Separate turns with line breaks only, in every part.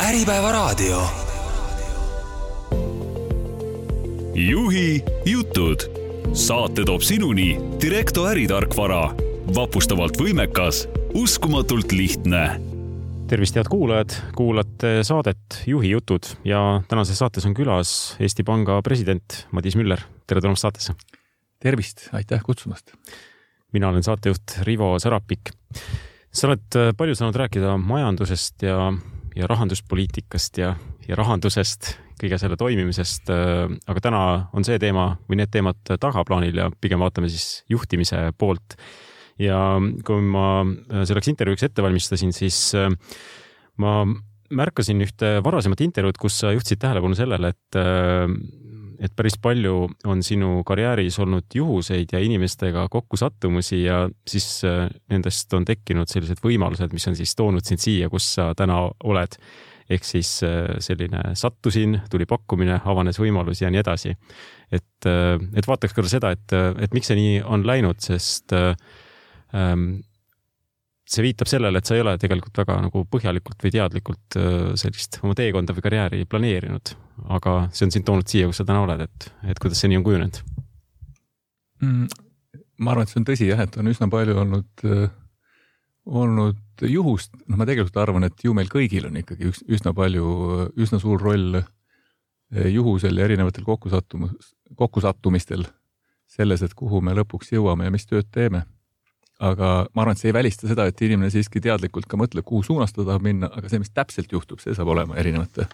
Äripäevaraadio. Juhi jutud. Saate toob sinuni Direkto äritarkvara. Vapustavalt võimekas, uskumatult lihtne.
Tervist, head kuulajad! Kuulate saadet Juhi jutud ja tänases saates on külas Eesti Panga president Madis Müller. Tere tulemast saatesse!
Tervist! Aitäh kutsumast!
Mina olen saatejuht Rivo Sarapik. Sa oled palju saanud rääkida majandusest ja rahanduspoliitikast ja rahandusest, kõige selle toimimisest, aga täna on see teema või need teemad tagaplaanil ja pigem vaatame siis juhtimise poolt. Ja kui ma selleks intervjuuks ette valmistasin, siis ma märkasin ühte varasemat intervjuud, kus sa juhtisid tähelepanu sellele, et päris palju on sinu karjääris olnud juhuseid ja inimestega kokkusattumusi ja siis nendest on tekkinud sellised võimalused, mis on siis toonud sind siia, kus sa täna oled. Ehk siis selline sattusin, tuli pakkumine, avanes võimalus ja nii edasi. Et vaataks korra seda, et miks see nii on läinud, sest see viitab sellele, et sa ei ole tegelikult väga nagu põhjalikult või teadlikult sellist oma teekonda või karjääri planeerinud, aga see on sind toonud siia, kus sa täna oled, et kuidas see nii on kujunenud?
Ma arvan, et see on tõsi, jah, et on üsna palju olnud juhust. Ma tegelikult arvan, et ju meil kõigil on ikkagi üsna suur roll juhusel ja erinevatel kokkusattumistel selles, et kuhu me lõpuks jõuame ja mis tööd teeme. Aga ma arvan, et see ei välista seda, et inimene siiski teadlikult ka mõtleb, kuhu suunas ta tahab minna, aga see, mis täpselt juhtub, see saab olema erinevate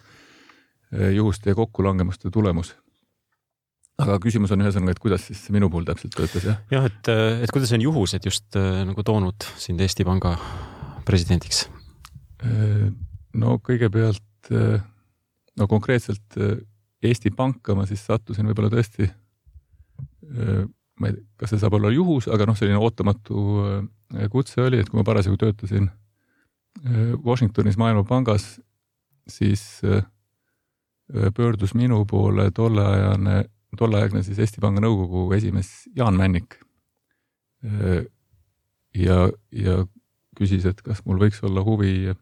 juhuste ja kokkulangemuste tulemus. Aga küsimus on ühesõnaga, et kuidas siis minu puhul täpselt töötas, jah?
Jah, et kuidas on juhused just nagu toonud sind Eesti Panga presidendiks?
No kõigepealt, konkreetselt Eesti Panka ma siis sattusin võib-olla tõesti ma ei tea, kas see saab olla juhus, aga selline ootamatu kutse oli, et kui ma parasjagu töötasin Washingtonis Maailmapangas, siis pöördus minu poole tolleaegne siis Eesti Panga nõukogu esimees Jaan Männik ja küsis, et kas mul võiks olla huvi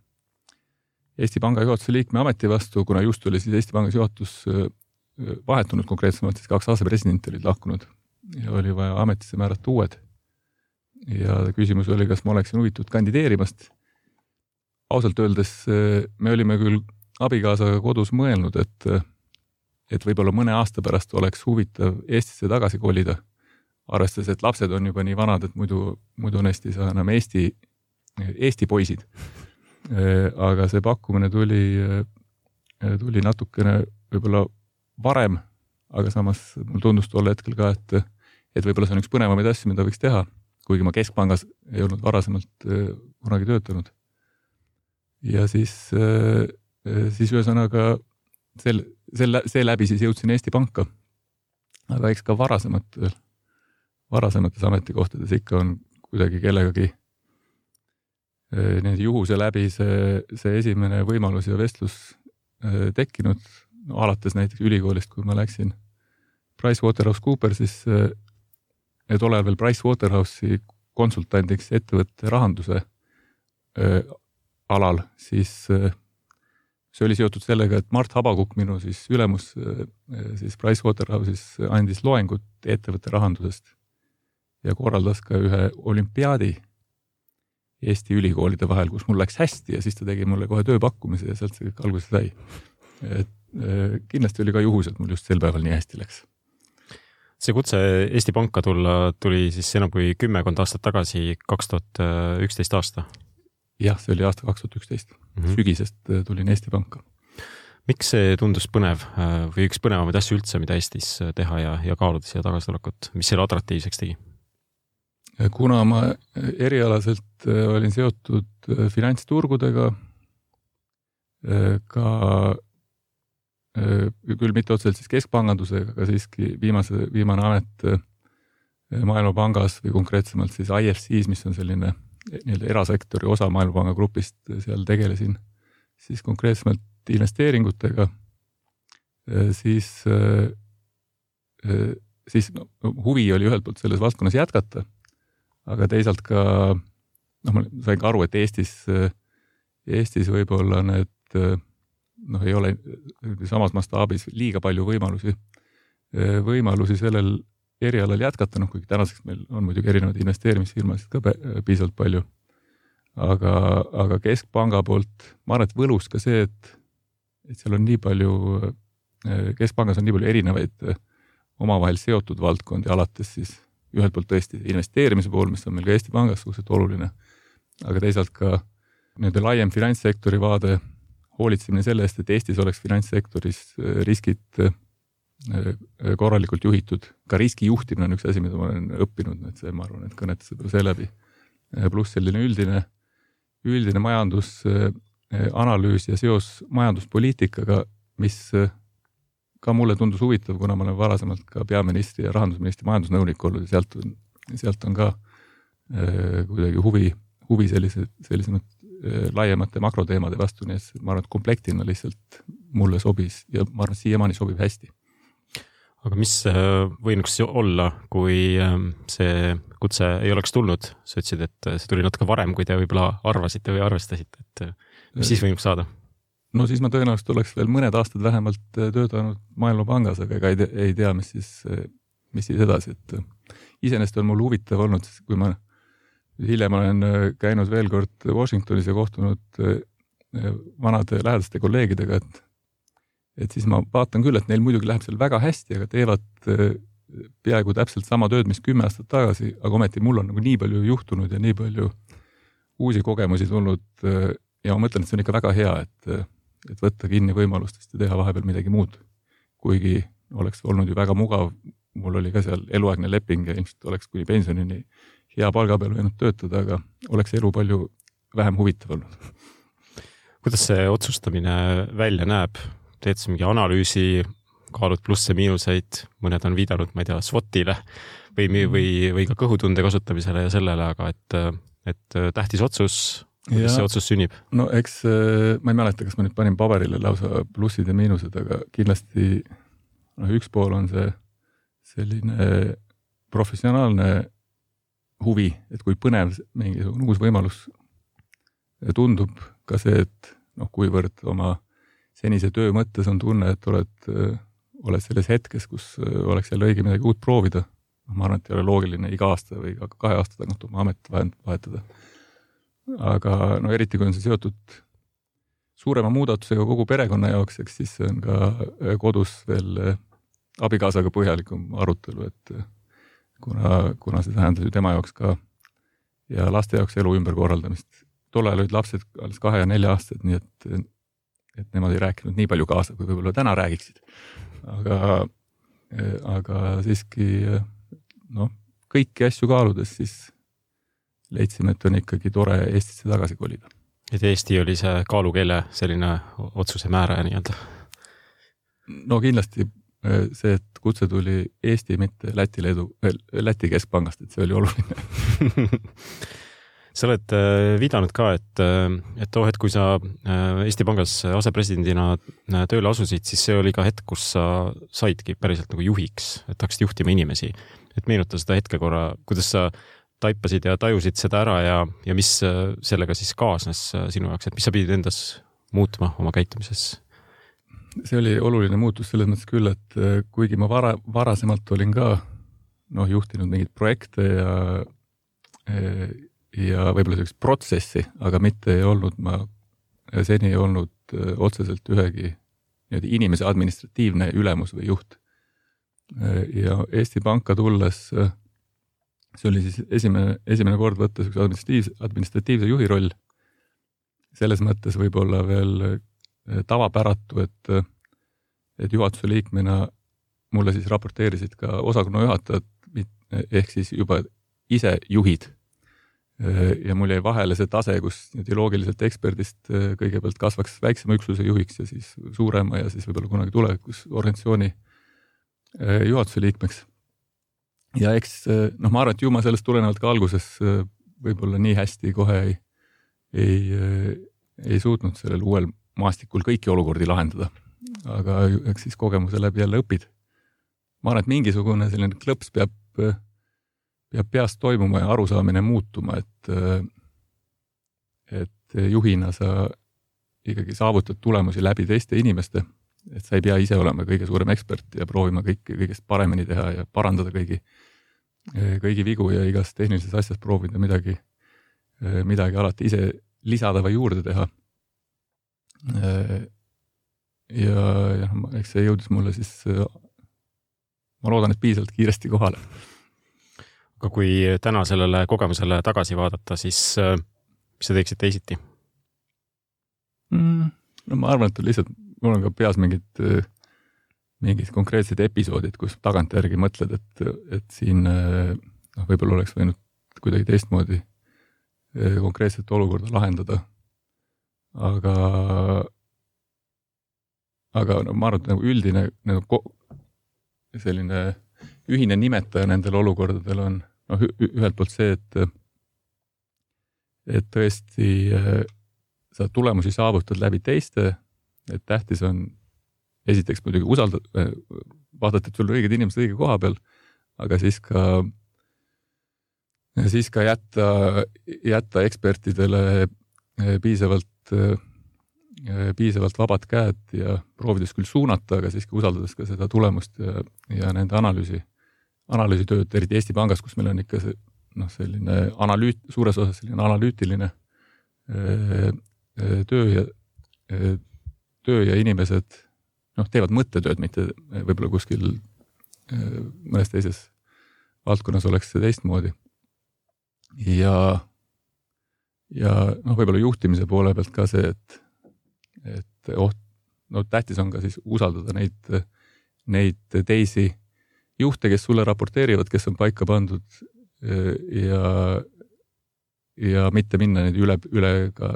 Eesti Panga juhatuse liikme ameti vastu, kuna just oli siis Eesti Pangas juhatus vahetunud konkreetsemalt, siis 2 asepresidenti olid lahkunud ja oli vaja ametisse määrata uued. Ja küsimus oli, kas ma oleksin huvitud kandideerimast. Ausalt öeldes me olime küll abikaasaga kodus mõelnud, et võib-olla mõne aasta pärast oleks huvitav Eestisse tagasi kolida. Arvestades, et lapsed on juba nii vanad, et muidu neist ei saa enam Eesti poisid. Aga see pakkumine tuli natukene võib-olla varem, aga samas mul tundus tol hetkel ka, et võib-olla see on üks põnevamaid asju, mida võiks teha, kuigi ma Keskpangas ei olnud varasemalt kunagi töötanud. Ja siis ühesõnaga see läbi siis jõudsin Eesti Panka. Aga eks ka varasemates ametikohtades ikka on kuidagi kellegagi juhuse läbi see esimene võimalus ja vestlus tekkinud. Alates näiteks ülikoolist, kui ma läksin PricewaterhouseCoopers, siis tollal veel Pricewaterhouse'i konsultandiks ettevõtte rahanduse alal, siis see oli seotud sellega, et Mart Habakuk, minu siis ülemus siis Pricewaterhouse'is andis loengut ettevõtte rahandusest ja korraldas ka ühe olümpiaadi Eesti ülikoolide vahel, kus mul läks hästi ja siis ta tegi mulle kohe tööpakkumise ja sealt see kõik alguses sai. Kindlasti oli ka juhus, et mul just sel päeval nii hästi läks.
See kutse Eesti Panka tuli siis enam kui 10 aastat tagasi, 2011 aasta?
Jah, see oli aasta 2011. Sügisest tulin Eesti Panka.
Miks see tundus põnev või üks põnevamaid asju üldse, mida Eestis teha ja kaaluda siia tagasitulekut? Mis selle atraktiivseks tegi?
Kuna ma erialaselt olin seotud finantsturgudega, ka küll mitte otseselt siis keskpangandusega, aga siiski viimane amet Maailmapangas või konkreetsemalt siis IFCs, mis on selline erasektori osa Maailmapanga grupist, seal tegelesin siis konkreetsemalt investeeringutega, siis huvi oli ühelt poolt selles valdkonnas jätkata, aga teisalt ka, ma sain ka aru, et Eestis võib-olla need ei ole samas mastaabis liiga palju võimalusi sellel erialal jätkata, kuigi tänaseks meil on muidugi erinevaid investeerimisfirmasid ka piisavalt palju. Aga keskpanga poolt, ma arvan, et võlus ka see, et seal on nii palju, keskpangas on nii palju erinevaid omavahel seotud valdkondi, alates siis ühelt poolt tõesti investeerimise pool, mis on meil ka Eesti Pangas suhteliselt oluline, aga teisalt ka nii-öelda laiem finantssektori vaade, hoolitsemine selle eest, et Eestis oleks finantssektoris riskid korralikult juhitud. Ka riski juhtimine on üks asi, mida ma olen õppinud, et see, ma arvan, et kõnetas seda seeläbi. Pluss selline üldine majandusanalüüs ja seos majanduspoliitikaga, mis ka mulle tundus huvitav, kuna ma olen varasemalt ka peaministri ja rahandusministri majandusnõunik olnud ja sealt on ka kuidagi huvi sellisemad laiemate makroteemade vastu, nii et ma arvan, et komplektina lihtsalt mulle sobis ja ma arvan, et siiamaani sobib hästi.
Aga mis võinuks olla, kui see kutse ei oleks tulnud? Sa ütlesid, et see tuli natuke varem, kui te võib-olla arvasite või arvestasite, et mis siis võinuks saada? No siis ma tõenäoliselt oleks veel mõned aastad vähemalt töötanud Maailmapangas, aga ei tea, mis siis edasi. Et iseenesest on mul huvitav olnud, kui ma hiljem olen käinud veel kord Washingtonis ja kohtunud vanade lähedaste kolleegidega, et siis ma vaatan küll, et neil muidugi läheb seal väga hästi, aga teevad peaaegu täpselt sama tööd, mis 10 aastat tagasi, aga ometi mul on nii palju juhtunud ja nii palju uusi kogemusi tulnud ja ma mõtlen, et see on ikka väga hea, et võtta kinni võimalustest ja teha vahepeal midagi muud. Kuigi oleks olnud ju väga mugav, mul oli ka seal eluaegne leping ja ilmselt oleks kuni pensionini hea palga peal võinud töötada, aga oleks elu palju vähem huvitav olnud. Kuidas see otsustamine välja näeb? Teed sa mingi analüüsi, kaalud plusse, miinuseid, mõned on viidanud, ma ei tea, SWOT-ile või ka kõhutunde kasutamisele ja sellele, aga et tähtis otsus, kuidas see otsus sünnib? No
eks ma ei mäleta, kas ma nüüd panin paberile lausa plussid ja miinused, aga kindlasti üks pool on see selline professionaalne huvi, et kui põnev mingisugune uus võimalus tundub, ka see, et kuivõrd oma senise töö mõttes on tunne, et oled selles hetkes, kus oleks jälle õige midagi uut proovida. Ma arvan, et ei ole loogiline iga aasta või 2 aasta tagant oma amet vahetada. Aga eriti kui on see seotud suurema muudatusega kogu perekonna jaoks, eks siis on ka kodus veel abikaasaga põhjalikum arutelu, et kuna see tähendas ju tema jaoks ka ja laste jaoks elu ümberkorraldamist. Tol ajal olid lapsed alles 2 ja 4 aastad, nii et nemad ei rääkinud nii palju kaasa, kui võib-olla täna räägiksid. Aga siiski kõiki asju kaaludes siis leidsime, et on ikkagi tore Eestisse tagasi kolida.
Et Eesti oli see kaalukeele selline otsuse määraja nii-öelda?
No kindlasti see, et kutse tuli Eesti, mitte Läti keskpangast, et see oli oluline.
Sa oled viidanud ka, et kui sa Eesti Pangas asepresidendina tööle asusid, siis see oli ka hetk, kus sa saidki päriselt nagu juhiks, et hakkasid juhtima inimesi. Et meenuta seda hetke korra, kuidas sa taipasid ja tajusid seda ära ja mis sellega siis kaasnes sinu jaoks, et mis sa pidid endas muutma oma käitumises?
See oli oluline muutus selles mõttes küll, et kuigi ma varasemalt olin ka juhtinud mingeid projekte ja võib-olla selleks protsessi, aga mitte ei olnud seni otseselt ühegi inimese administratiivne ülemus või juht. Ja Eesti Panka tulles, see oli siis esimene kord võtta administratiivse juhi roll. Selles mõttes võib-olla veel tavapäratu, et juhatuse liikmena mulle siis raporteerisid ka osakonna juhatajad, ehk siis juba ise juhid. Ja mul jäi vahele see tase, kus loogiliselt eksperdist kõigepealt kasvaks väiksema üksuse juhiks ja siis suurema ja siis võib-olla kunagi tulevikus organisatsiooni juhatuse liikmeks. Ja eks, ma arvan, et ju ma sellest tulenevalt ka alguses võib-olla nii hästi kohe ei suutnud sellel uuel maastikul kõiki olukordi lahendada. Aga eks siis kogemuse läbi jälle õpid. Ma arvan, et mingisugune selline klõps peab peast toimuma ja arusaamine muutuma, et juhina sa ikkagi saavutad tulemusi läbi teiste inimeste, et sa ei pea ise olema kõige suurem ekspert ja proovima kõigest paremini teha ja parandada kõigi vigu ja igas tehnilises asjas proovida midagi alati ise lisada või juurde teha. Ja eks see jõudis mulle siis, ma loodan, et piisavalt kiiresti kohale.
Aga kui täna sellele kogemusele tagasi vaadata, siis mis sa teeksid teisiti?
No ma arvan, et lihtsalt mul on ka peas mingid konkreetsed episoodid, kus tagantjärgi mõtled, et siin võib-olla oleks võinud kuidagi teistmoodi konkreetset olukorda lahendada. Aga ma arvan, et üldine selline ühine nimetaja nendel olukordadel on ühelt poolt see, et tõesti sa tulemusi saavutad läbi teiste, et tähtis on esiteks muidugi vaadata, et sul on õiged inimesed õige koha peal, aga siis ka jätta ekspertidele piisavalt vabad käed ja proovides küll suunata, aga siiski usaldades ka seda tulemust ja nende analüüsitööd, eriti Eesti Pangas, kus meil on ikka selline suures osas selline analüütiline töö ja inimesed teevad mõttetööd, mitte võib-olla kuskil mõnes teises valdkonnas oleks see teistmoodi. Ja võib-olla juhtimise poole pealt ka see, et tähtis on ka siis usaldada neid teisi juhte, kes sulle raporteerivad, kes on paika pandud ja mitte minna neid üle ka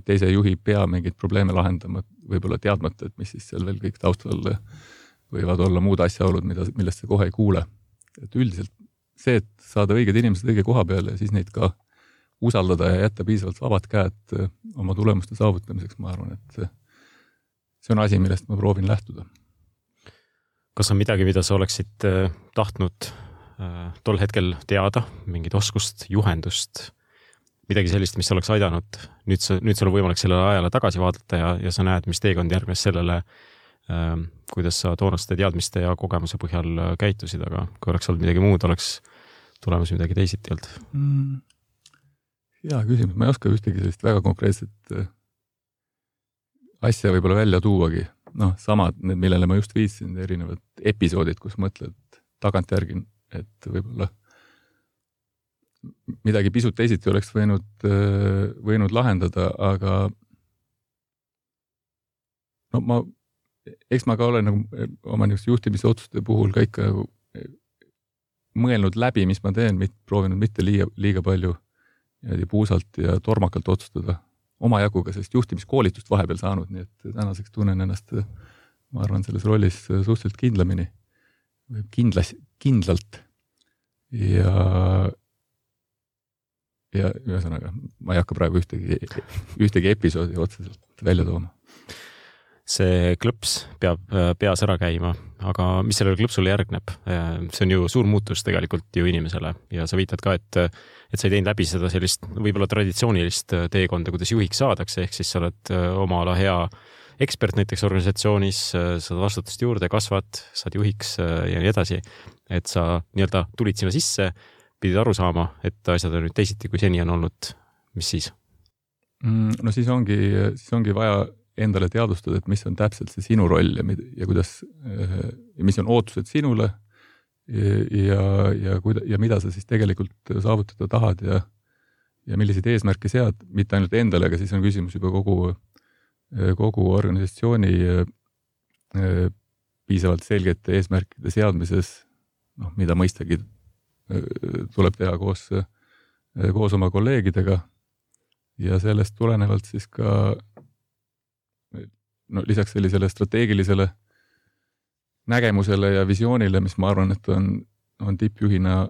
teise juhi pea mingeid probleeme lahendama, võib-olla teadmata, et mis siis seal veel kõik taustal võivad olla muud asjaolud, millest sa kohe ei kuule. Et üldiselt see, et saada õiged inimesed õige koha peale ja siis neid ka usaldada ja jätta piisavalt vabad käed oma tulemuste saavutamiseks, ma arvan, et see on asi, millest ma proovin lähtuda.
Kas on midagi, mida sa oleksid tahtnud tol hetkel teada, mingit oskust, juhendust, midagi sellist, mis oleks aidanud? Nüüd sul on võimalik sellele ajale tagasi vaadata ja sa näed, mis teekond järgnes sellele, kuidas sa toonaste teadmiste ja kogemuse põhjal käitusid, aga kui oleks olnud midagi muud, oleks tulemus midagi teisiti olnud.
Hea küsimus, ma ei oska ühtegi sellist väga konkreetset asja võib-olla välja tuuagi. Samad, millele ma just viitsin, erinevad episoodid, kus mõtled tagantjärgi, et võib-olla midagi pisut teisiti oleks võinud lahendada, aga eks ma ka olen oma juhtimisotsuste puhul ka ikka mõelnud läbi, mis ma teen, proovinud mitte liiga palju puusalt ja tormakalt otsustada. Omajagu ka sellist juhtimiskoolitust vahepeal saanud, nii et tänaseks tunnen ennast, ma arvan, selles rollis suhteliselt kindlamini, kindlalt ja ühesõnaga, ma ei hakka praegu ühtegi episoodi otseselt välja tooma.
See klõps peab peas ära käima, aga mis sellele klõpsule järgneb? See on ju suur muutus tegelikult ju inimesele ja sa viitad ka, et sa ei teinud läbi seda sellist võib-olla traditsioonilist teekonda, kuidas juhiks saadakse, ehk siis sa oled oma ala hea ekspert näiteks organisatsioonis, saad vastutust juurde, kasvad, saad juhiks ja nii edasi, et sa nii-öelda tulid sinna sisse, pidid aru saama, et asjad on nüüd teisiti, kui seni on olnud. Mis siis?
No siis ongi vaja endale teadvustada, et mis on täpselt see sinu roll ja kuidas, ja mis on ootused sinule ja mida sa siis tegelikult saavutada tahad ja milliseid eesmärke sead, mitte ainult endale, aga siis on küsimus juba kogu organisatsiooni piisavalt selgete eesmärkide seadmises, mida mõistagi tuleb teha koos oma kolleegidega ja sellest tulenevalt siis ka lisaks sellisele strateegilisele nägemusele ja visioonile, mis ma arvan, et on tippjuhina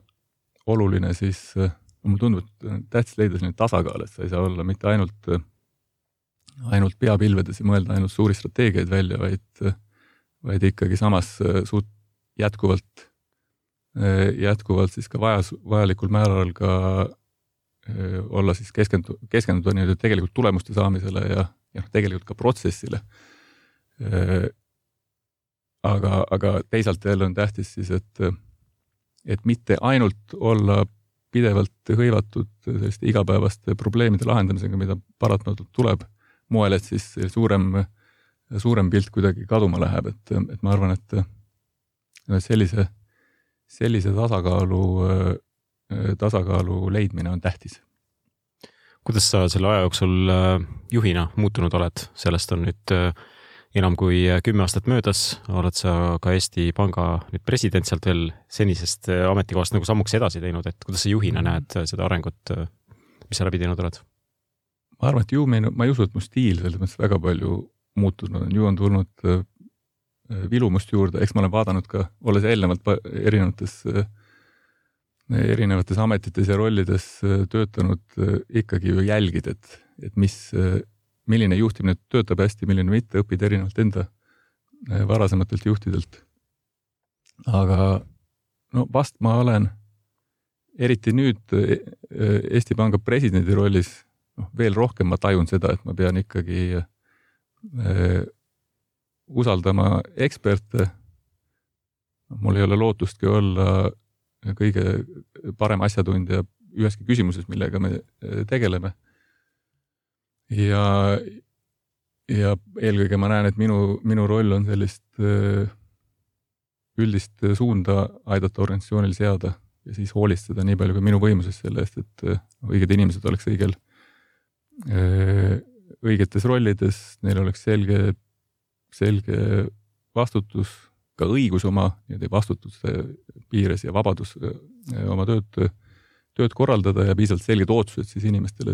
oluline, siis mulle tundub, et tähtis leida selline tasakaal, et sa ei saa olla mitte ainult peapilvedes ja mõelda ainult suuri strateegiaid välja, vaid ikkagi samas jätkuvalt siis ka vajalikul määral ka olla siis keskenduda nii tegelikult tulemuste saamisele ja tegelikult ka protsessile. Aga teisalt jälle on tähtis siis, et mitte ainult olla pidevalt hõivatud selliste igapäevaste probleemide lahendamisega, mida paratamatult tuleb moel, et siis suurem pilt kuidagi kaduma läheb, et ma arvan, et sellise tasakaalu leidmine on tähtis.
Kuidas sa selle aja jooksul juhina muutunud oled? Sellest on nüüd enam kui 10 aastat möödas, oled sa ka Eesti Panga nüüd president sealt veel senisest ametikohast nagu sammuks edasi teinud, et kuidas sa juhina näed seda arengut, mis sa läbi teinud oled?
Ma arvan, et ma ei usu, et mu stiil selles mõttes väga palju muutunud on. Ju on tulnud vilumust juurde, eks ma olen vaadanud ka, olles eelnevalt erinevates ametites ja rollides töötanud, ikkagi ju jälgid, et milline juhtimine töötab hästi, milline mitte, õpid erinevalt enda varasematelt juhtidelt. Aga vast ma olen eriti nüüd Eesti Panga presidendi rollis veel rohkem ma tajun seda, et ma pean ikkagi usaldama eksperte. Mul ei ole lootustki olla kõige parem asjatundja üheski küsimuses, millega me tegeleme. Ja eelkõige ma näen, et minu roll on sellist üldist suunda aidata organisatsioonil seada ja siis hoolitseda nii palju kui minu võimuses selle eest, et õiged inimesed oleks õigetes rollides, neil oleks selge vastutus, ka õigus oma vastutuse piires ja vabadus oma tööd korraldada ja piisavalt selged otsused siis inimestele,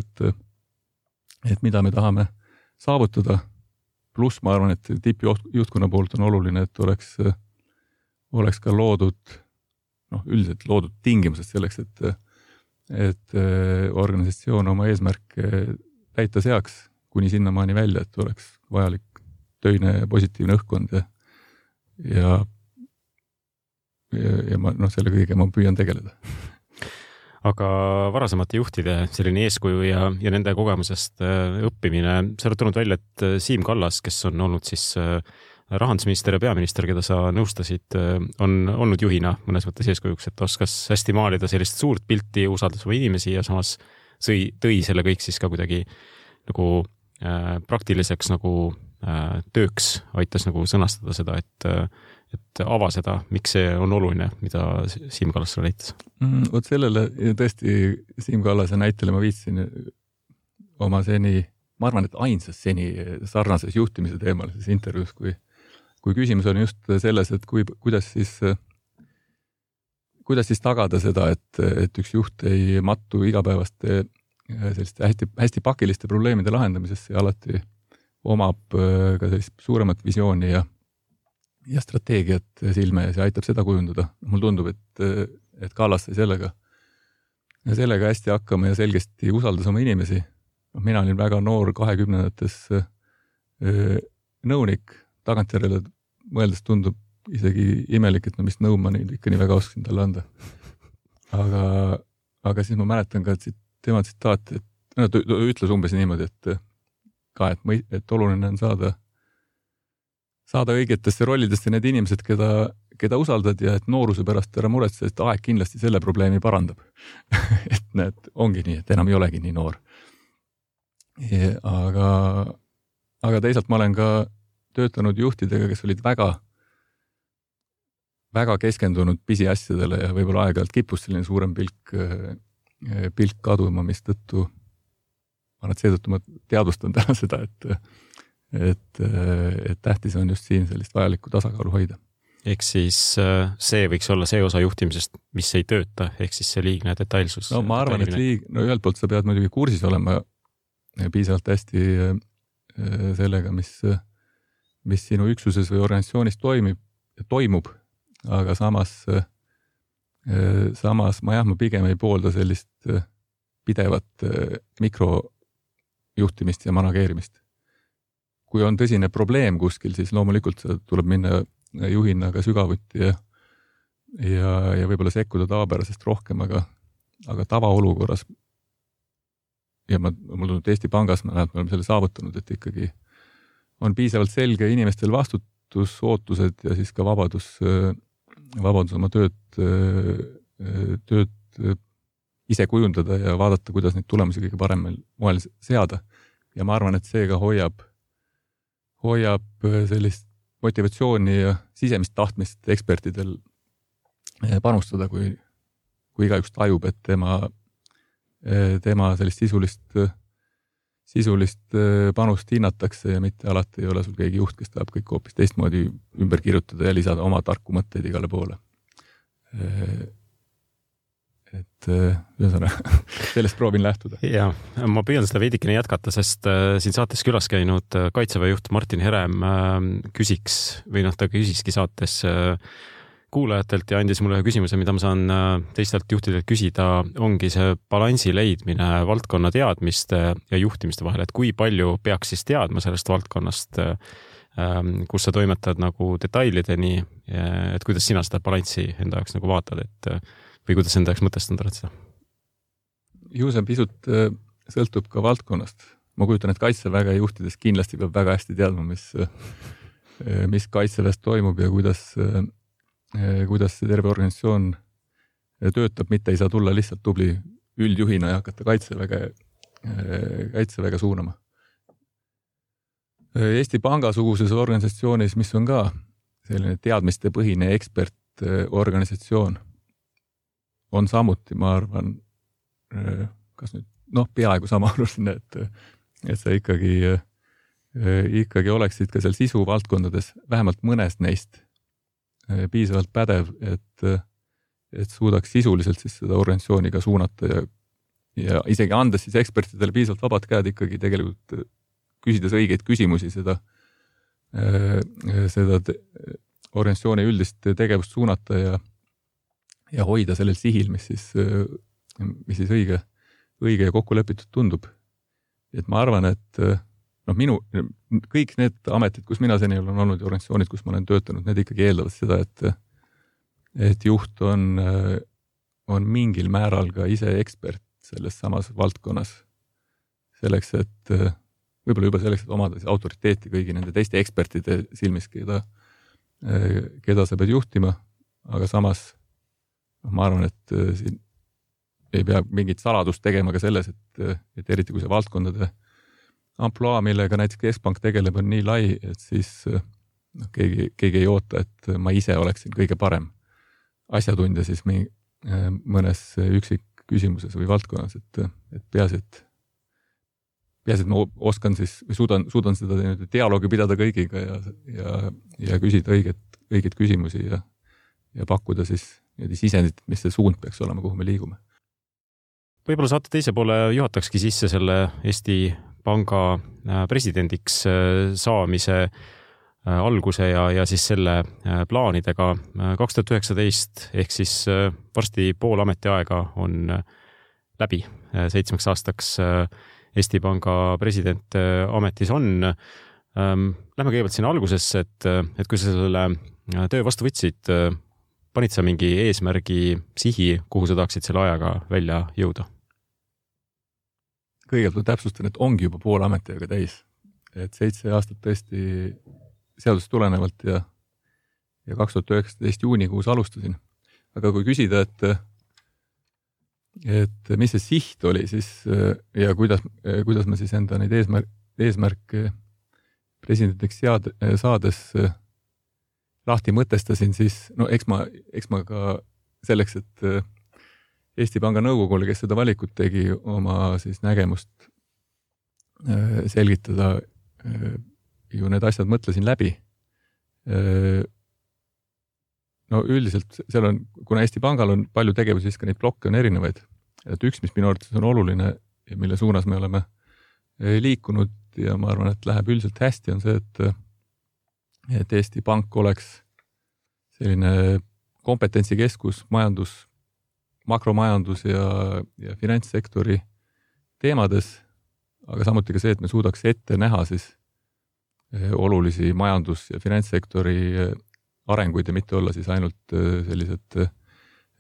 et mida me tahame saavutada. Pluss ma arvan, et tippjuhtkonna poolt on oluline, et oleks ka üldiselt loodud tingimused selleks, et organisatsioon oma eesmärke täita seaks kuni sinnamaani välja, et oleks vajalik töine positiivne õhkkond ja ma selle kõige ma püüan tegeleda.
Aga varasemate juhtide selline eeskuju ja nende kogemusest õppimine, sa oled tulnud välja, et Siim Kallas, kes on olnud siis rahandusminister ja peaminister, keda sa nõustasid, on olnud juhina mõnes mõttes eeskujuks, et oskas hästi maalida sellist suurt pilti, usaldas oma inimesi ja samas tõi selle kõik siis ka kuidagi nagu praktiliseks nagu tööks, aitas nagu sõnastada seda, et ava seda, miks see on oluline, mida Siim Kallas sulle näitas.
Vot sellele tõesti Siim Kallase näitele ma viitsin oma ma arvan, et ainsas seni sarnases juhtimise teemalises intervjuus, kui küsimus on just selles, et kuidas siis tagada seda, et üks juht ei mattu igapäevaste selliste hästi pakiliste probleemide lahendamisesse ja alati omab ka sellist suuremat visiooni ja strateegiat silme ees ja aitab seda kujundada. Mul tundub, et Kallas sai sellega hästi hakkama ja selgesti usaldas oma inimesi. Mina olin väga noor 20-ndates nõunik, tagantjärele mõeldes tundub isegi imelik, et mis nõu ma nüüd ikka nii väga oskasin talle anda. Aga siis ma mäletan ka tema tsitaati, et ta ütles umbes niimoodi, et oluline on saada õigetesse rollidesse need inimesed, keda usaldad ja et nooruse pärast ära muretse, et aeg kindlasti selle probleemi parandab. et ongi nii, et enam ei olegi nii noor. Aga teisalt ma olen ka töötanud juhtidega, kes olid väga, väga keskendunud pisiasjadele ja võib-olla aeg-ajalt kippus selline suurem pilk kaduma, mis seetõttu ma teadvustan täna seda, et tähtis on just siin sellist vajalikku tasakaalu hoida.
Ehk siis see võiks olla see osa juhtimisest, mis ei tööta, ehk siis see liigne detailsus.
No ma arvan, et ühelt poolt sa pead muidugi kursis olema piisavalt hästi sellega, mis sinu üksuses või organisatsioonis toimub, aga samas ma pigem ei poolda sellist pidevat mikrojuhtimist ja manageerimist. Kui on tõsine probleem kuskil, siis loomulikult tuleb minna juhina ka sügavuti ja võib-olla sekkuda tavapärasest rohkem, aga tavaolukorras ja mul tundub, et Eesti Pangas me oleme selle saavutanud, et ikkagi on piisavalt selge inimestel vastutusootused ja siis ka vabadus oma tööd ise kujundada ja vaadata, kuidas neid tulemusi kõige paremal moel seada. Ja ma arvan, et see ka hoiab sellist motivatsiooni ja sisemist tahtmist ekspertidel panustada, kui igaüks tajub, et tema sellist sisulist panust hinnatakse ja mitte alati ei ole sul keegi juht, kes tahab kõik hoopis teistmoodi ümber kirjutada ja lisada oma tarku mõtteid igale poole. Et sellest proovin lähtuda.
Ja ma püüan seda veidikene jätkata, sest siin saates külas käinud Kaitseväe juht Martin Herem ta küsiski saates kuulajatelt ja andis mulle küsimuse, mida ma saan teistelt juhtidelt küsida, ongi see balansi leidmine valdkonna teadmiste ja juhtimiste vahel, et kui palju peaks siis teadma sellest valdkonnast, kus sa toimetad nagu detailideni, et kuidas sina seda balanssi enda jaoks nagu vaatad, või kuidas enda jaoks mõtestanud oled seda?
Ju see pisut sõltub ka valdkonnast. Ma kujutan, et Kaitseväge juhtides kindlasti peab väga hästi teadma, mis Kaitseväes toimub ja kuidas see terve organisatsioon töötab, mitte ei saa tulla lihtsalt tubli üldjuhina ja hakata Kaitseväge suunama. Eesti Panga-suguses organisatsioonis, mis on ka selline teadmistepõhine ekspertorganisatsioon, on samuti, ma arvan, kas nüüd, peaaegu sama oluline, et sa ikkagi oleksid ka seal sisuvaldkondades, vähemalt mõnest neist piisavalt pädev, et suudaks sisuliselt siis seda organisatsiooni ka suunata ja isegi andes siis ekspertidele piisavalt vabad käed ikkagi tegelikult küsides õigeid küsimusi seda organisatsiooni üldist tegevust suunata ja hoida sellel sihil, mis siis õige ja kokku lepitud tundub. Et ma arvan, et kõik need ametid, kus mina seni olen olnud ja organisatsioonid, kus ma olen töötanud, need ikkagi eeldavad seda, et juht on mingil määral ka ise ekspert selles samas valdkonnas. Selleks, et võib-olla juba selleks, et omada autoriteeti kõigi nende teiste ekspertide silmis, keda sa pead juhtima, aga samas ma arvan, et siin ei pea mingit saladust tegema ka selles, et eriti kui see valdkondade amploa, millega näiteks Keskpank tegeleb, on nii lai, et siis keegi ei oota, et ma ise oleksin kõige parem asjatundja siis mõnes üksik küsimuses või valdkonnas, et peaasi, et ma oskan siis või suudan seda dialoogi pidada kõigiga ja küsida õigeid küsimusi ja pakkuda siis sisendit, mis see suund peaks olema, kuhu me liigume.
Võib-olla saate teise poole juhatakski sisse selle Eesti Panga presidendiks saamise alguse ja siis selle plaanidega 2019 ehk siis varsti pool ametiaega on läbi 7 aastaks Eesti Panga president ametis on. Lähme kõigepealt sinna algusesse, et kui sa selle töö vastu võtsid, panid sa mingi eesmärgi sihi, kuhu sa tahaksid selle ajaga välja jõuda?
Kõigepealt täpsustan, et ongi juba pool ametiaega täis. Et 7 aastat tõesti seadusest tulenevalt ja 2019 juunikuus alustasin. Aga kui küsida, et mis see siht oli siis ja kuidas ma siis enda neid eesmärke presidendiks saades lahti mõtestasin, siis eks ma ka selleks, et Eesti Panga nõukogule, kes seda valikut tegi, oma siis nägemust selgitada, ju need asjad mõtlesin läbi. Üldiselt seal on, kuna Eesti Pangal on palju tegevusi, siis ka neid blokke on erinevaid. Et üks, mis minu arvates on oluline ja mille suunas me oleme liikunud ja ma arvan, et läheb üldiselt hästi, on see, et Eesti Pank oleks selline kompetentsikeskus makromajandus ja finantssektori teemades, aga samuti ka see, et me suudaks ette näha siis olulisi majandus- ja finantssektori arenguid ja mitte olla siis ainult sellised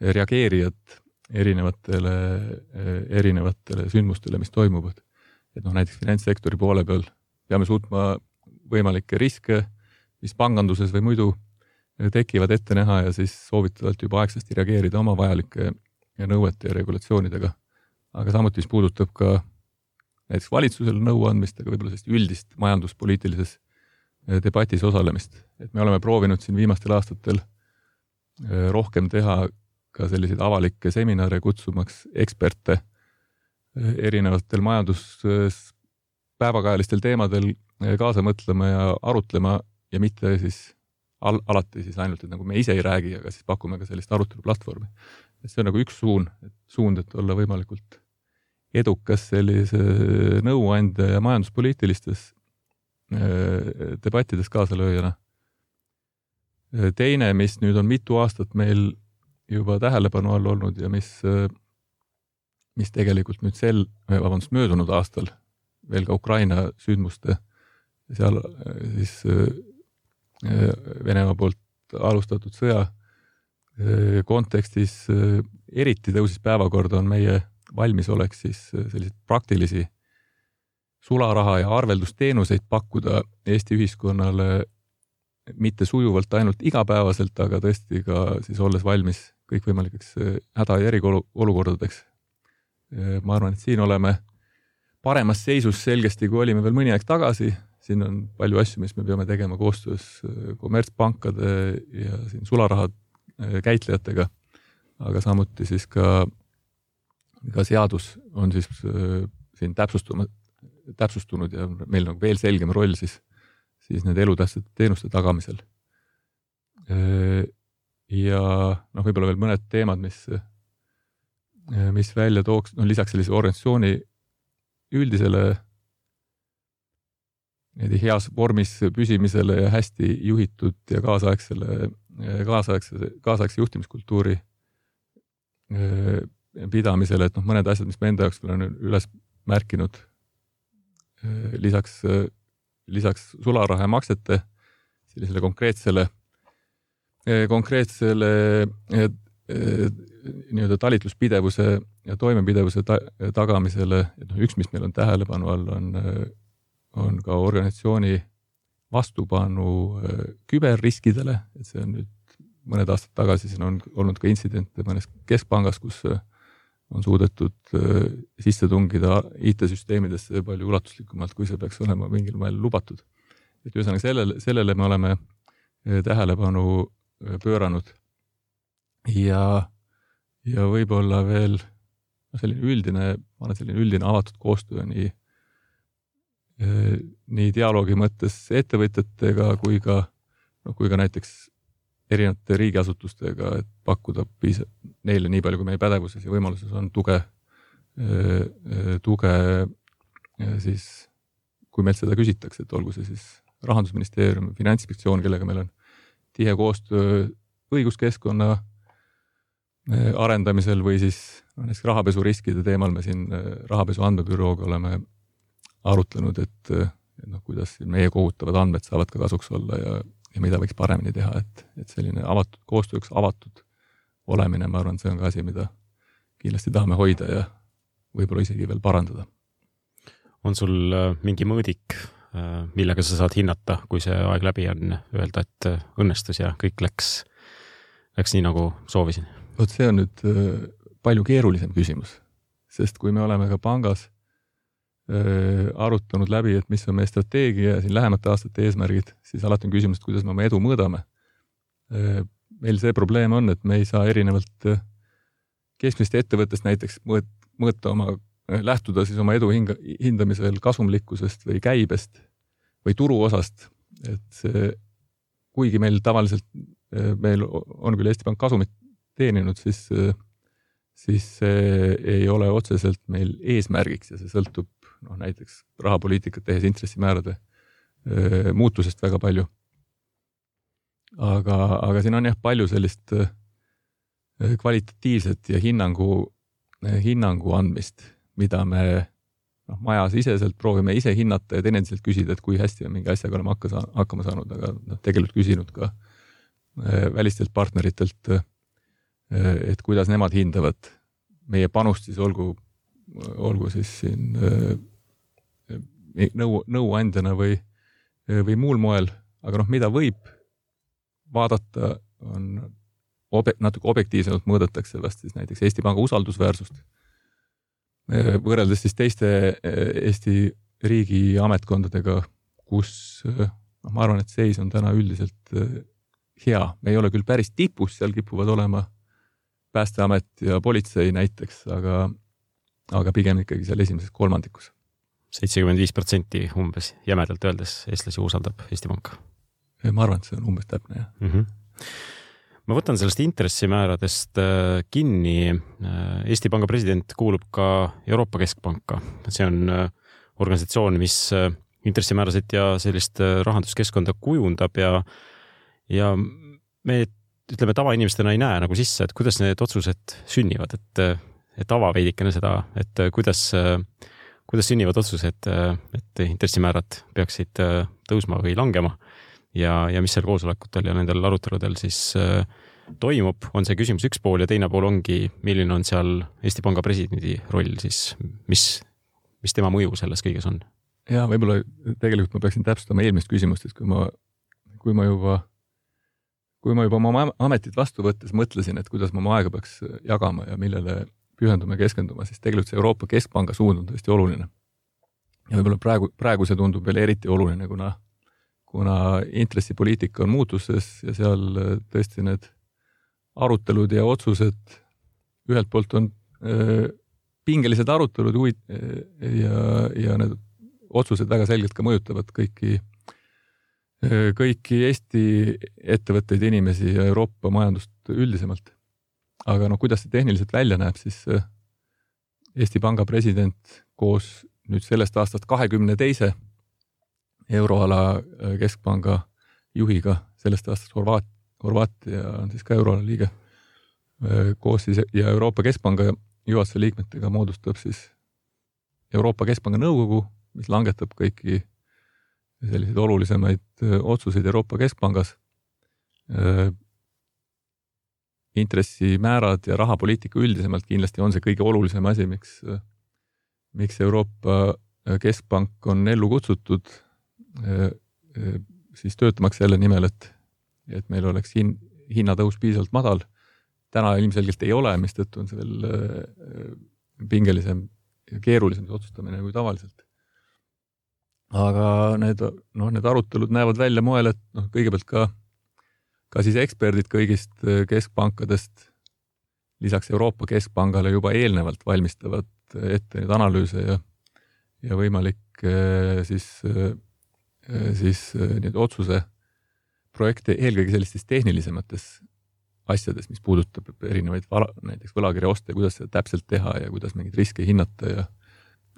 reageerijad erinevatele sündmustele, mis toimuvad. Et näiteks finantssektori poole peal peame suutma võimalikke riske, mis panganduses või muidu tekivad ette näha ja siis soovitavalt juba aegsasti reageerida oma vajalike nõuete ja regulatsioonidega. Aga samuti, mis puudutab ka näiteks valitsusele nõu andmist, aga võib-olla sellist üldist majanduspoliitilises debatis osalemist. Et me oleme proovinud siin viimastel aastatel rohkem teha ka selliseid avalikke seminare, kutsumaks eksperte erinevatel päevakajalistel teemadel kaasa mõtlema ja arutlema ja mitte siis alati siis ainult, et nagu me ise ei räägi, aga siis pakume ka sellist aruteluplatvormi. Et see on nagu üks suund, et olla võimalikult edukas sellise nõuandja ja majanduspoliitilistes debattides kaasalööjana. Teine, mis nüüd on mitu aastat meil juba tähelepanu all olnud ja mis tegelikult nüüd möödunud aastal veel ka Ukraina sündmuste seal siis Venemaa poolt alustatud sõja kontekstis eriti tõusis päevakorda on meie valmisolek siis selliseid praktilisi sularaha ja arveldusteenuseid pakkuda Eesti ühiskonnale mitte sujuvalt ainult igapäevaselt, aga tõesti ka siis olles valmis kõikvõimalikeks häda- ja eriolukordadeks. Ma arvan, et siin oleme paremas seisus selgesti, kui olime veel mõni aeg tagasi. Siin on palju asju, mis me peame tegema koostöös kommertspankade ja siin sularaha käitlejatega, aga samuti siis ka seadus on siis siin täpsustunud ja meil on veel selgem roll siis need elutähtsate teenuste tagamisel. Ja võib-olla veel mõned teemad, mis välja tooks, lisaks sellise organisatsiooni üldisele heas vormis püsimisele ja hästi juhitud ja kaasaegse juhtimiskultuuri pidamisele, et mõned asjad, mis me enda jaoks olen üles märkinud, lisaks sularaha ja maksete sellisele konkreetsele nii-öelda talitluspidevuse ja toimepidevuse tagamisele, et üks, mis meil on tähelepanu all, on ka organisatsiooni vastupanu küberriskidele, et see on nüüd mõned aastad tagasi, siin on olnud ka intsidente mõnes keskpangas, kus on suudetud sisse tungida IT-süsteemidesse palju ulatuslikumalt, kui see peaks olema mingil moel lubatud. Et ühesõnaga sellele me oleme tähelepanu pööranud ja võib-olla veel selline üldine avatud koostöö nii dialoogi mõttes ettevõtjatega kui ka näiteks erinevate riigiasutustega, et pakkuda neile nii palju, kui meie pädevuses ja võimaluses on tuge siis, kui meilt seda küsitakse, et olgu see siis Rahandusministeerium, Finantsinspektsioon, kellega meil on tihe koostöö õiguskeskkonna arendamisel või siis näiteks rahapesuriskide teemal me siin rahapesu andmebürooga oleme arutlenud, et kuidas meie kogutavad andmed saavad ka kasuks olla ja mida võiks paremini teha, et selline koostööks avatud olemine, ma arvan, see on ka asi, mida kindlasti tahame hoida ja võib-olla isegi veel parandada.
On sul mingi mõõdik, millega sa saad hinnata, kui see aeg läbi on, öelda, et õnnestus ja kõik läks nii, nagu soovisin?
Vot see on nüüd palju keerulisem küsimus, sest kui me oleme ka pangas arutanud läbi, et mis on meie strateegia ja siin lähemate aastate eesmärgid, siis alati on küsimus, et kuidas me oma edu mõõdame. Meil see probleem on, et me ei saa erinevalt keskmist ettevõttest näiteks lähtuda siis oma edu hindamisel kasumlikkusest või käibest või turuosast. Et see, kuigi meil tavaliselt meil on küll Eesti Pank kasumit teeninud, siis see ei ole otseselt meil eesmärgiks ja see sõltub näiteks rahapoliitikat tehes intressimäärade muutusest väga palju. Aga siin on jah palju sellist kvalitatiivset ja hinnangu andmist, mida me majasiseselt proovime ise hinnata ja teineteselt küsida, et kui hästi on mingi asjaga oleme hakkama saanud, aga tegelikult küsinud ka välistelt partneritelt, et kuidas nemad hindavad meie panust siis olgu siis siin nõuandjana või muul moel, aga mida võib vaadata, on natuke objektiivsemalt mõõdetakse vast siis näiteks Eesti Panga usaldusväärsust. Võrreldes siis teiste Eesti riigi ametkondadega, kus ma arvan, et seis on täna üldiselt hea. Me ei ole küll päris tipus, seal kipuvad olema Päästeamet ja politsei näiteks, aga pigem ikkagi seal esimeses kolmandikus.
75% umbes jämedalt öeldes eestlasi usaldab Eesti Panka.
Ma arvan, et see on umbes täpne, jah.
Ma võtan sellest intressimääradest kinni. Eesti Panga president kuulub ka Euroopa Keskpanka. See on organisatsioon, mis intressimäärasid ja sellist rahanduskeskkonda kujundab ja me ütleme tavainimestena ei näe nagu sisse, et kuidas need otsused sünnivad, et ava veidikene seda, et kuidas sünnivad otsused, et intressimäärad peaksid tõusma või langema ja mis seal koosolekutel ja nendel aruteludel siis toimub, on see küsimus üks pool ja teine pool ongi, milline on seal Eesti Panga presidendi roll siis, mis tema mõju selles kõiges on?
Ja võib-olla tegelikult ma peaksin täpsustama eelmist küsimust, et kui ma juba oma ametit vastu võttes mõtlesin, et kuidas ma oma aega peaks jagama ja millele pühendume ja keskenduma, siis tegelikult see Euroopa Keskpanga suund on tõesti oluline. Ja võib-olla praegu see tundub veel eriti oluline, kuna intressipoliitika on muutuses ja seal tõesti need arutelud ja otsused ühelt poolt on pingelised arutelud ja need otsused väga selgelt ka mõjutavad kõiki Eesti ettevõtteid, inimesi ja Euroopa majandust üldisemalt. Aga kuidas see tehniliselt välja näeb, siis Eesti Panga president koos nüüd sellest aastast 22. euroala keskpanga juhiga, sellest aastast Horvaatia on siis ka euroala liige, koos siis ja Euroopa Keskpanga juhatuse liikmetega moodustab siis Euroopa Keskpanga nõukogu, mis langetab kõiki selliseid olulisemaid otsuseid Euroopa Keskpangas. Intressimäärad ja rahapoliitika üldisemalt kindlasti on see kõige olulisem asi, miks Euroopa Keskpank on ellu kutsutud siis töötamaks selle nimel, et meil oleks hinnatõus piisavalt madal. Täna ilmselgelt ei ole, mistõttu on see veel pingelisem ja keerulisem otsustamine kui tavaliselt. Aga need arutelud näevad välja moel, et kõigepealt ka siis eksperdid kõigist keskpankadest lisaks Euroopa Keskpangale juba eelnevalt valmistavad ette neid analüüse ja võimalik siis need otsuse projekte eelkõige sellistes tehnilisemates asjades, mis puudutab erinevaid näiteks võlakirja oste, kuidas seda täpselt teha ja kuidas mingeid riske hinnata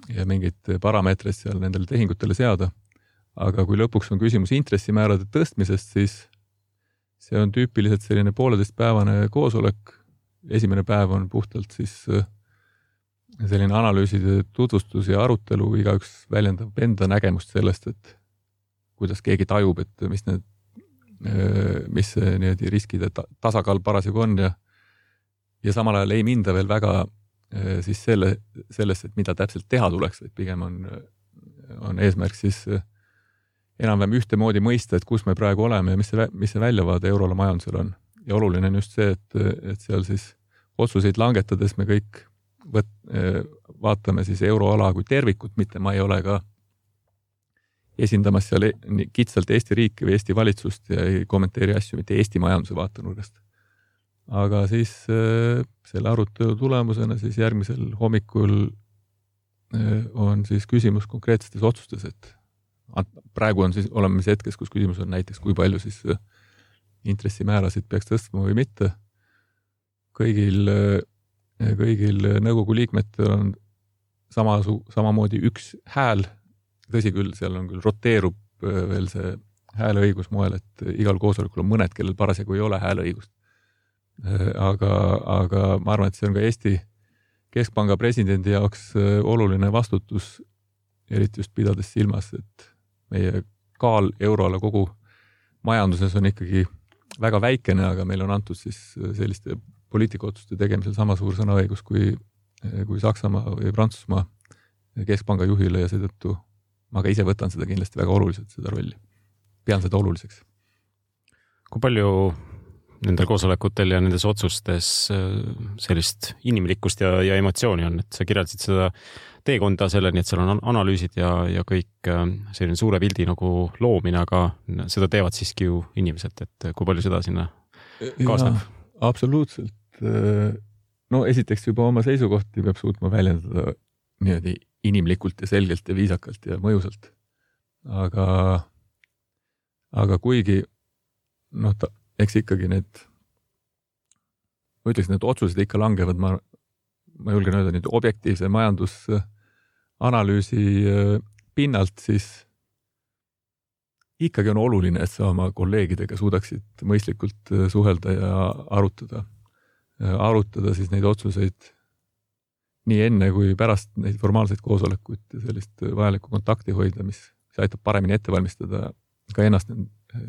ja mingeid parameetreid seal nendele tehingutele seada. Aga kui lõpuks on küsimus intressimäärade tõstmisest, siis see on tüüpiliselt selline 1,5-päevane koosolek. Esimene päev on puhtalt siis selline analüüside tutvustus ja arutelu, igaüks väljendab enda nägemust sellest, et kuidas keegi tajub, et mis see riskide tasakaal parasjagu on ja samal ajal ei minda veel väga siis sellest, et mida täpselt teha tuleks, et pigem on eesmärk siis enam-vähem ühtemoodi mõista, et kus me praegu oleme ja mis see väljavaade euroala majandusel on. Ja oluline on just see, et seal siis otsuseid langetades me kõik vaatame siis euroala kui tervikut, mitte ma ei ole ka esindamas seal kitsalt Eesti riiki või Eesti valitsust ja ei kommenteeri asju mitte Eesti majanduse vaatenurgast. Aga siis selle arutelu tulemusena siis järgmisel hommikul on siis küsimus konkreetsetes otsustes, et praegu on siis oleme siis hetkes, kus küsimus on näiteks, kui palju siis intressimäärasid peaks tõstma või mitte. Kõigil nõukogu liikmetel on samamoodi üks hääl. Tõsi küll, seal on küll roteerub veel see hääleõigus moel, et igal koosolekul on mõned, kellel parasjagu ei ole hääleõigust. Aga ma arvan, et see on ka Eesti Keskpanga presidendi jaoks oluline vastutus, eriti just pidades silmas, et meie kaal euroala kogu majanduses on ikkagi väga väikene, aga meil on antud siis selliste poliitikaotsuste tegemisel sama suur sõnaõigus kui kui Saksamaa või Prantsusmaa keskpanga juhile ja seetõttu ma ka ise võtan seda kindlasti väga oluliselt, seda rolli. Pean seda oluliseks.
Kui palju nendel koosolekutel ja nendes otsustes sellist inimlikkust ja emotsiooni on, et sa kirjeldasid seda teekonda selleni, et seal on analüüsid ja kõik selline suure pildi nagu loomine, aga seda teevad siiski ju inimesed, et kui palju seda sinna kaasneb?
Absoluutselt. No esiteks juba oma seisukohti peab suutma väljendada niimoodi inimlikult ja selgelt ja viisakalt ja mõjusalt. Aga kuigi eks ikkagi need otsused ikka langevad, ma julgen öelda nüüd objektiivse majandusanalüüsi pinnalt, siis ikkagi on oluline, et sa oma kolleegidega suudaksid mõistlikult suhelda ja arutada siis neid otsuseid nii enne kui pärast neid formaalseid koosolekuid ja sellist vajalikku kontakti hoida, mis aitab paremini ette valmistada ka ennast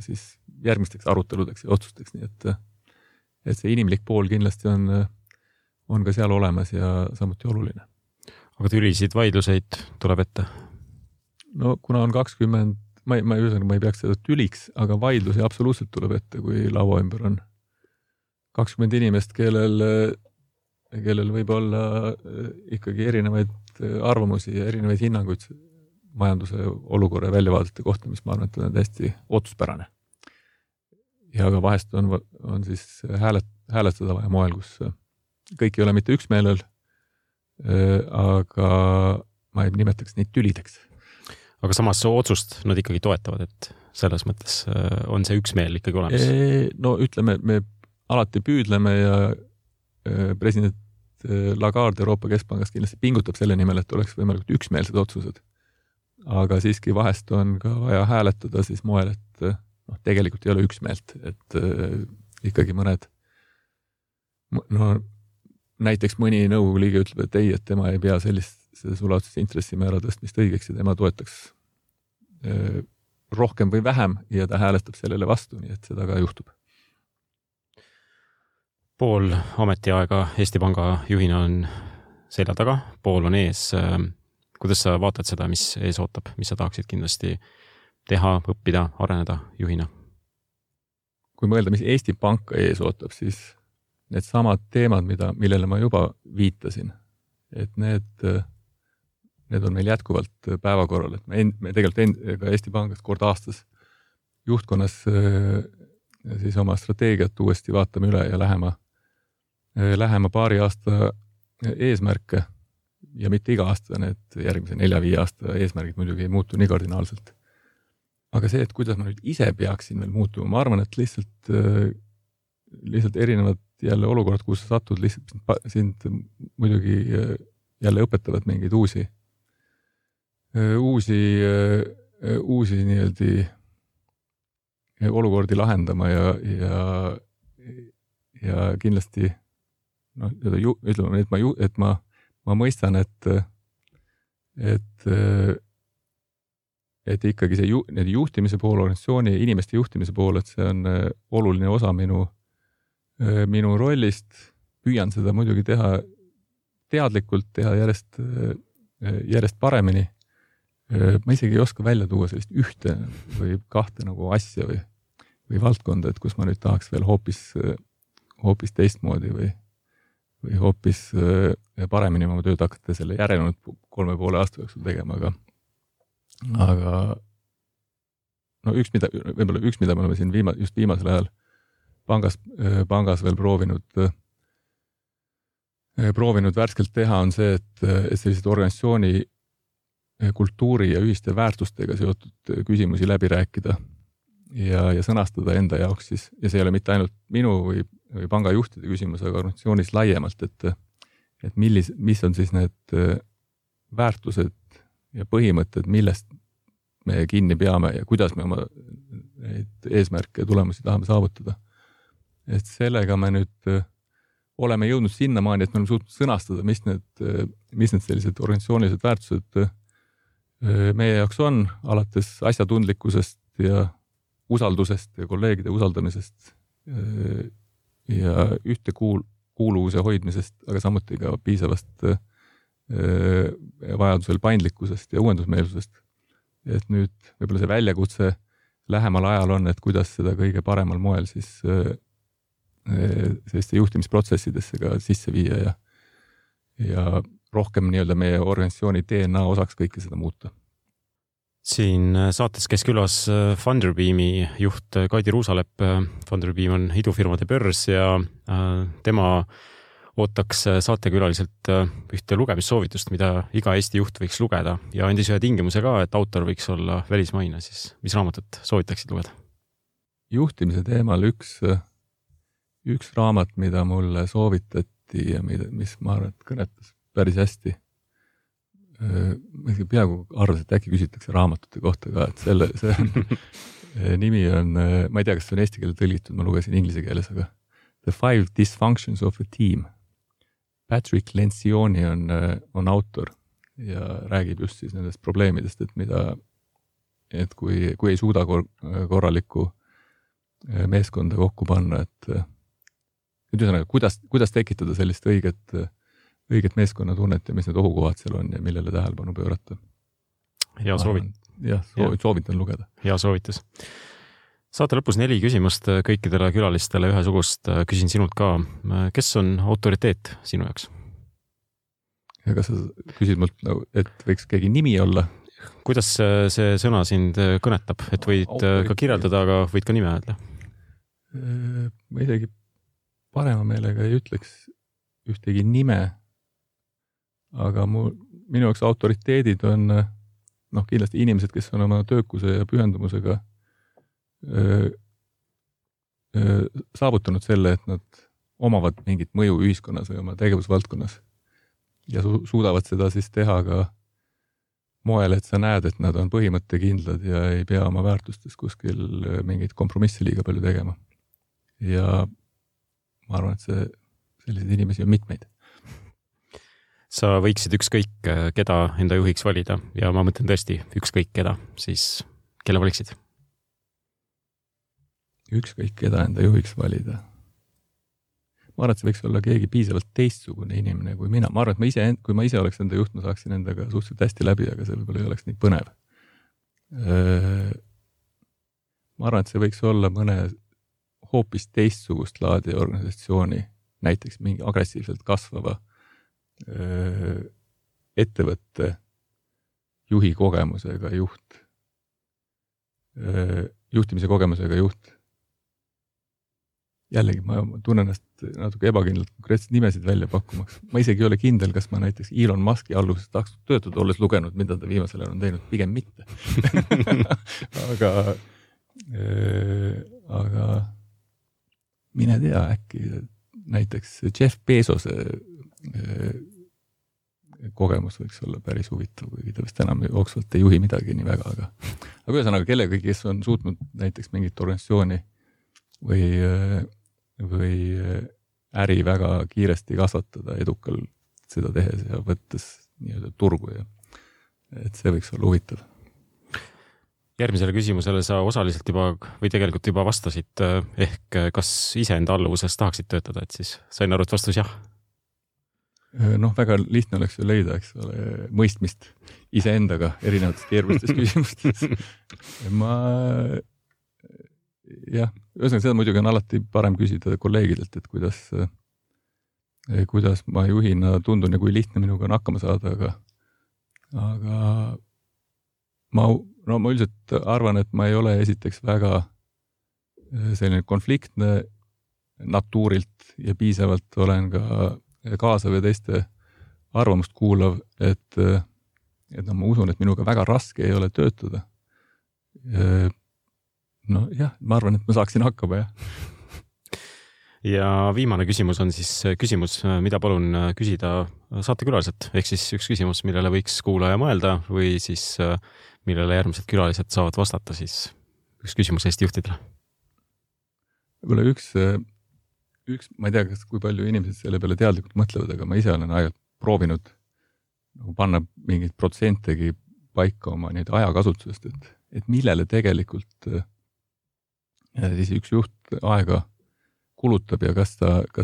siis järgmisteks aruteludeks ja otsusteks, nii et see inimlik pool kindlasti on ka seal olemas ja samuti oluline.
Aga tülisid vaidluseid tuleb ette?
No kuna on 20, ma ei peaks seda tüliks, aga vaidlusi absoluutselt tuleb ette, kui laua ümber on 20 inimest, kellel võib olla ikkagi erinevaid arvamusi ja erinevaid hinnanguid majanduse olukorra ja väljavaadete kohta, mis ma arvan, et on täiesti otsuspärane. Ja ka vahest on siis hääletada vaja moel, kus kõik ei ole mitte üksmeelel, aga ma ei nimetaks neid tülideks.
Aga samas otsust nad ikkagi toetavad, et selles mõttes on see üksmeel ikkagi olemas?
No ütleme, me alati püüdleme ja president Lagarde Euroopa Keskpangast kindlasti pingutab selle nimel, et oleks võimalikult üksmeelsed otsused. Aga siiski vahest on ka vaja hääletada siis moel, et tegelikult ei ole üksmeelt, et ikkagi mõned, näiteks mõni nõukogu liige ütleb, et ei, et tema ei pea seda sulautses intressimäära tõstmist õigeks ja tema toetaks rohkem või vähem ja ta hääletab sellele vastu, nii et seda ka juhtub.
Pool ametiaega Eesti Panga juhina on selja taga, pool on ees. Kuidas sa vaatad seda, mis ees ootab, mis sa tahaksid kindlasti teha, õppida, areneda juhina? Kui mõelda, mis Eesti Panka ees ootab, siis need samad teemad, millele ma juba viitasin, et need on meil jätkuvalt päevakorral, et me tegelikult ka Eesti Pangast kord aastas juhtkonnas siis oma strateegiat uuesti vaatame üle ja lähema paari aasta eesmärke ja mitte iga aasta, need järgmise 4-5 aasta eesmärgid muidugi ei muutu nii kardinaalselt. Aga see, et kuidas ma nüüd ise peaksin veel muutuma, ma arvan, et lihtsalt erinevad jälle olukorrad, kus sa satud, lihtsalt sind muidugi jälle õpetavad mingeid uusi nii-öelda olukordi lahendama ja kindlasti ütleme, et ma mõistan, et ikkagi see juhtimise pool, organisatsiooni ja inimeste juhtimise pool, et see on oluline osa minu rollist, püüan seda muidugi teha teadlikult, teha järjest paremini. Ma isegi ei oska välja tuua sellist ühte või kahte nagu asja või valdkonda, et kus ma nüüd tahaks veel hoopis teistmoodi või hoopis paremini oma tööd hakata selle järelenud 3,5 aasta jooksul tegema, aga üks, mida me oleme siin just viimasel ajal pangas veel proovinud värskelt teha, on see, et sellised organisatsiooni kultuuri ja ühiste väärtustega seotud küsimusi läbi rääkida ja sõnastada enda jaoks siis, ja see ei ole mitte ainult minu või panga juhtide küsimus, aga organisatsioonis laiemalt, et mis on siis need väärtused ja põhimõtted, millest me kinni peame ja kuidas me oma neid eesmärke ja tulemusi tahame saavutada. Et sellega me nüüd oleme jõudnud sinnamaani, et me oleme suutnud sõnastada, mis need sellised organisatsioonilised väärtused meie jaoks on, alates asjatundlikkusest ja usaldusest ja kolleegide usaldamisest ja
kuuluvuse hoidmisest, aga samuti ka piisavast vajadusel paindlikkusest ja uuendusmeelsusest. Et nüüd võib-olla see väljakutse lähemal ajal on, et kuidas seda kõige paremal moel siis selliste juhtimisprotsessidesse ka sisse viia ja rohkem nii-öelda meie organisatsiooni DNA osaks kõike seda muuta.
Siin saates käis külas Funderbeami juht Kaidi Ruusalepp. Funderbeam on idufirmade börs ja tema ootaks saatekülaliselt ühte lugemissoovitust, mida iga Eesti juht võiks lugeda ja andis ühe tingimuse ka, et autor võiks olla välismaine. Siis mis raamatut soovitaksid lugeda? Juhtimise
teemal üks raamat, mida mulle soovitati ja mis ma arvan, et kõnetas päris hästi. Ma peaaegu arvasin, et äkki küsitakse raamatute kohta ka, et see nimi on, ma ei tea, kas see on eesti keele tõlgitud, ma lugesin inglise keeles, aga The 5 Dysfunctions of a Team. Patrick Lencioni on autor ja räägib just siis nendest probleemidest, et kui ei suuda korralikku meeskonda kokku panna, et ühesõnaga, kuidas tekitada sellist õiget meeskonnatunnet ja mis need ohukohad seal on ja millele tähelepanu pöörata.
Hea
soovitan lugeda.
Hea soovitus. Saate lõpus 4 küsimust kõikidele külalistele ühesugust. Küsin sinult ka, kes on autoriteet sinu jaoks?
Ja kas sa küsid mult, et võiks keegi nimi olla?
Kuidas see sõna sind kõnetab? Et võid ka kirjeldada, aga võid ka nime öelda?
Ma isegi parema meelega ei ütleks ühtegi nime, aga minu jaoks autoriteedid on kindlasti inimesed, kes on oma töökuse ja pühendumusega saavutanud selle, et nad omavad mingit mõju ühiskonnas või oma tegevusvaldkonnas ja suudavad seda siis teha ka moel, et sa näed, et nad on põhimõttekindlad ja ei pea oma väärtustes kuskil mingit kompromissi liiga palju tegema. Ja ma arvan, et selliseid inimesi on mitmeid.
Sa võiksid ükskõik keda enda juhiks valida ja ma mõtlen tõesti ükskõik keda, siis kelle valiksid?
Ükskõik keda enda juhiks valida. Ma arvan, et see võiks olla keegi piisavalt teistsugune inimene kui mina. Ma arvan, et kui ma ise oleks enda juht, ma saaksin endaga suhteliselt hästi läbi, aga see võib-olla ei oleks nii põnev. Ma arvan, et see võiks olla mõne hoopis teistsugust laadi organisatsiooni, näiteks mingi agressiivselt kasvava ettevõtte juhi kogemusega juht, juhtimise kogemusega juht. Jällegi, ma tunnen ennast natuke ebakindlalt konkreetselt nimesid välja pakkumaks. Ma isegi ei ole kindel, kas ma näiteks Elon Muski alluses tahaks töötada, olles lugenud, mida ta viimasel ajal on teinud, pigem mitte. aga mine tea, äkki näiteks Jeff Bezose kogemus võiks olla päris huvitav, kuigi ta vist enam jooksvalt ei juhi midagi nii väga, aga ühesõnaga kellega, kes on suutnud näiteks mingit organisatsiooni või äri väga kiiresti kasvatada edukalt seda tehes ja võttes nii-öelda turgu ja et see võiks olla huvitav.
Järgmisele küsimusele sa osaliselt juba või tegelikult juba vastasid, ehk kas iseenda alluvuses tahaksid töötada, et siis sain aru, et vastus jah?
Väga lihtne oleks ju leida, eks ole, mõistmist iseendaga erinevates keerulistes küsimustes. Ühesõnaga seda muidugi on alati parem küsida kolleegidelt, et kuidas ma juhina tundun ja kui lihtne minuga on hakkama saada, aga ma üldiselt arvan, et ma ei ole esiteks väga selline konfliktne natuurilt ja piisavalt olen ka kaasav ja teiste arvamust kuulav, et ma usun, et minuga väga raske ei ole töötada. Ma arvan, et ma saaksin hakkama, jah.
Ja viimane küsimus on siis küsimus, mida palun küsida saatekülaliselt, ehk siis üks küsimus, millele võiks kuulaja mõelda või siis millele järgmised külalised saavad vastata, siis üks küsimus Eesti juhtidele.
Võib-olla üks, ma ei tea, kui palju inimesed selle peale teadlikult mõtlevad, aga ma ise olen aeg proovinud panna mingid protsentegi paika oma neid ajakasutusest, et millele tegelikult siis üks juht aega kulutab ja kas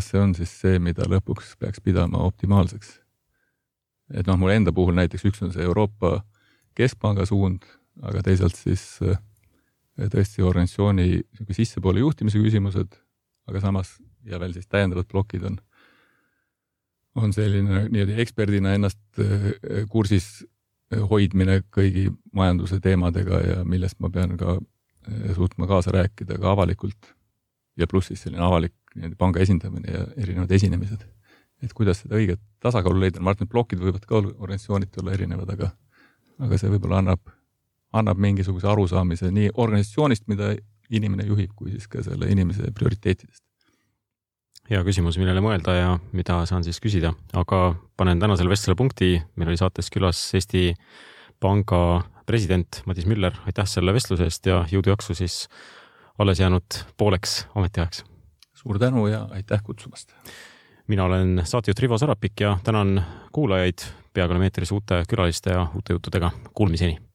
see on siis see, mida lõpuks peaks pidama optimaalseks. Et mul enda puhul näiteks üks on see Euroopa Keskpanga suund, aga teisalt siis tõesti organisatsiooni sissepoole juhtimise küsimused, aga samas ja veel siis täiendavad plokid on selline nii-öelda eksperdina ennast kursis hoidmine kõigi majanduse teemadega ja millest ma pean ka suutma kaasa rääkida ka avalikult ja pluss siis selline avalik panga esindamine ja erinevad esinemised. Et kuidas seda õiget tasakaalu leida, ma arvan, et plokid võivad ka organisatsioonid olla erinevad, aga see võib-olla annab mingisuguse arusaamise nii organisatsioonist, mida inimene juhib, kui siis ka selle inimese prioriteetidest.
Hea küsimus, millele mõelda ja mida saan siis küsida, aga panen tänasele vestlale punkti. Meil oli saates külas Eesti Panga president Madis Müller. Aitäh selle vestluse eest ja jõudu jaksu siis alles jäänud pooleks ametiajaks.
Suur tänu ja aitäh kutsumast.
Mina olen saatejuht Rivo Sarapik ja tänan kuulajaid. Peaaegu oleme eetris uute külaliste ja uute juttudega. Kuulmiseni!